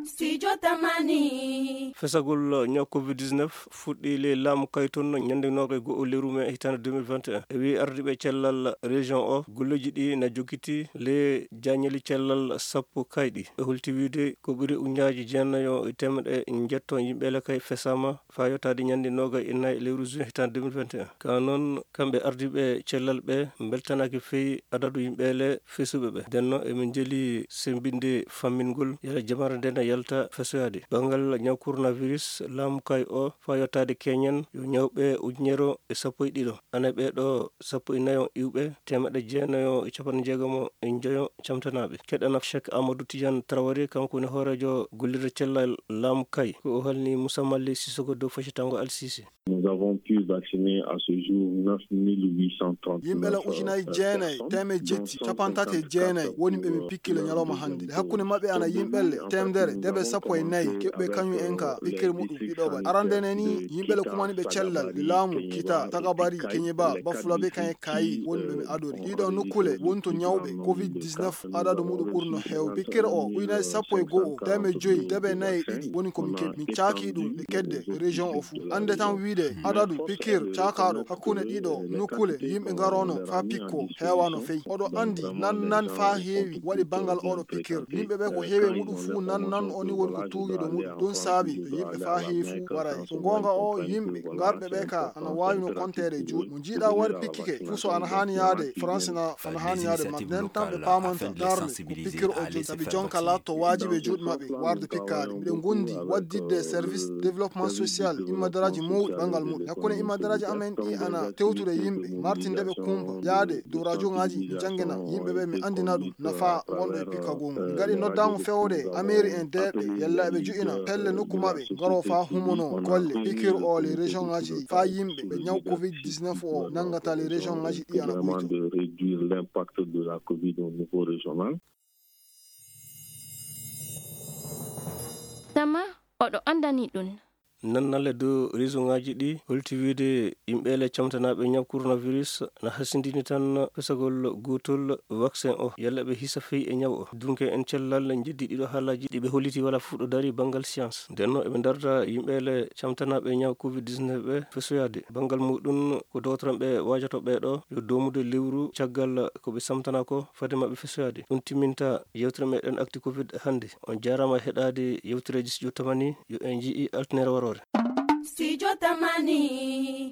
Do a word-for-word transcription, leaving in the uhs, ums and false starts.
Studio Tamani. Fesagol ñaw covid dix-neuf fuɗɗii ley laamu kay toon ñande noogay go'o lewru mee hitaande deux mille vingt et un. E wii ardiiɓe cellal région o, golleeji ɗi na jokkitii ley jaañeli cellal sappo kayɗi. Ɓe holti wiide ko ɓuri ujunnaaji jeenayo e teemedde njetto yimɓe le kay fesaama faa yottaade ñande noogay e nayi lewru juin hitaande deux mille vingt et un. Ka noon, kamɓe ardiiɓe cellal ɓe mbeltanaaki fey adadu yimɓe le fesuɓe ɓe. Ndenno emin njeli semmbinde fammingol yala jamare nde na yalta fesoyaade. Banngal ñaw coronavirus, laamu kay o faa yottaade keñen yo ñawɓe ujunere e sappo e ɗiɗo. Ana ɓee ɗo sappo e nayo iwɓe, teemedde jeenayo e capanɗe jeegom e njoyo camtanaaɓe. Keɗana Cheikh Amadou Tidiane Traoré, kanko woni hooreejo gollirde cellal laamu kay. Ko o halni Moussa Mali Sissoko dow Fashi Tango Al Sisi. Nous avons pu vacciner à ce jour neuf mille huit cent trente-neuf, Yimɓe la euh, ujunaaji jeenayi, personnes, teemeɗɗe jetti, dont cappanɗe tati e jeenayi woni ɓe min pikkila ñalawma hannde. E hakkunde maɓɓe ana yimɓe le teemedere, debe sappo e nayi, keɓɓe kañum en ka pikkere muɗum ɗiɗo ɓaɗi. Arande ne ni, yimɓe le kumani ɓe cellal, laamu, kita, tagabari, keñeba, bafulabe, kañe kayi, woni ɓe mi adori. Ɗiɗo nokkule woni to ñawɓe covid dix-neuf adadu muɗum ɓurno heewde. Pikkere o, ujunaaji sappo e go'o, teemeɗɗe joyi, debe nayi e ɗiɗi woni ko min keɓi. Min caaki ɗum e kedde région o fuu. Annde tan wiide adadu pikkir caakaaɗo hakkunde ɗiɗo nokkule yimɓe ngarono faa pikko heewaano fey. Oɗo anndi nan nan faa heewi waɗi banngal oɗo pikkir. Yimɓe ɓe ko heewi e muɗum fuu nan nan o ni woni ko tuugiiɗo muɗum. Ɗum saabi to yimɓe faa heewi fuu waray. So goonga o, yimɓe ngarɓe ɓe ka ana waawi no konteede e juuɗe. Mo njiiɗa wari pikkike fuu so ana haani yaade France na ana haani yaade makko. Nden tan ɓe paamanta darnde ko pikkir o jogii. Sabi jonka laatto waajibi e juuɗe maɓɓe warde pikkaade. Miɗen ngondi wadditde service développement social immadaraaji mawɗi banngal muɗum. Hakkunde immadaraaji amen ɗi ana tewtude yimɓe, martinde ɓe kumpa, yaade dow rajongaaji, mi janngina yimɓe ɓe, mi anndina ɗum nafa wonɗo e pikkagol ngol. Min ngaɗi noddaango fewde e mairie en deeɓe, yalla eɓe jo'ina pelle nokku maɓɓe, ngaro faa humono golle, pikiir o les région ngaji ɗi, faa yimɓe ɓe ñaw covid dix-neuf o nanngata les région ngaji ɗi ana ɓuyta. De réduire l'impact de la covid au niveau régional. Tama oɗo anndani ɗum. Nannale dow région ngaji ɗi holti wiide yimɓe le camtanaaɓe ñaw coronavirus na hasindini tan fesagol gootol vaccin o, yalla ɓe hisa fey e ñaw o. Dunke en cellal njeddi ɗiɗo haalaaji ɗi ɓe holliti wala fuɗɗo dari banngal science. Ndenno eɓe ndarda yimɓe le camtanaaɓe ñaw covid dix-neuf ɓe fesoyaade. Banngal muɗum ko dowtoranɓe waajoto ɓee ɗo yo doomude lewru caggal ko ɓe samtana ko fade maɓɓe fesoyaade. Ɗum timminta yewtere meɗen Actu Covid hannde. On jaaraama heɗaade yewtereeji Studio Tamani, yo en njii altine waroore. Studio Tamani.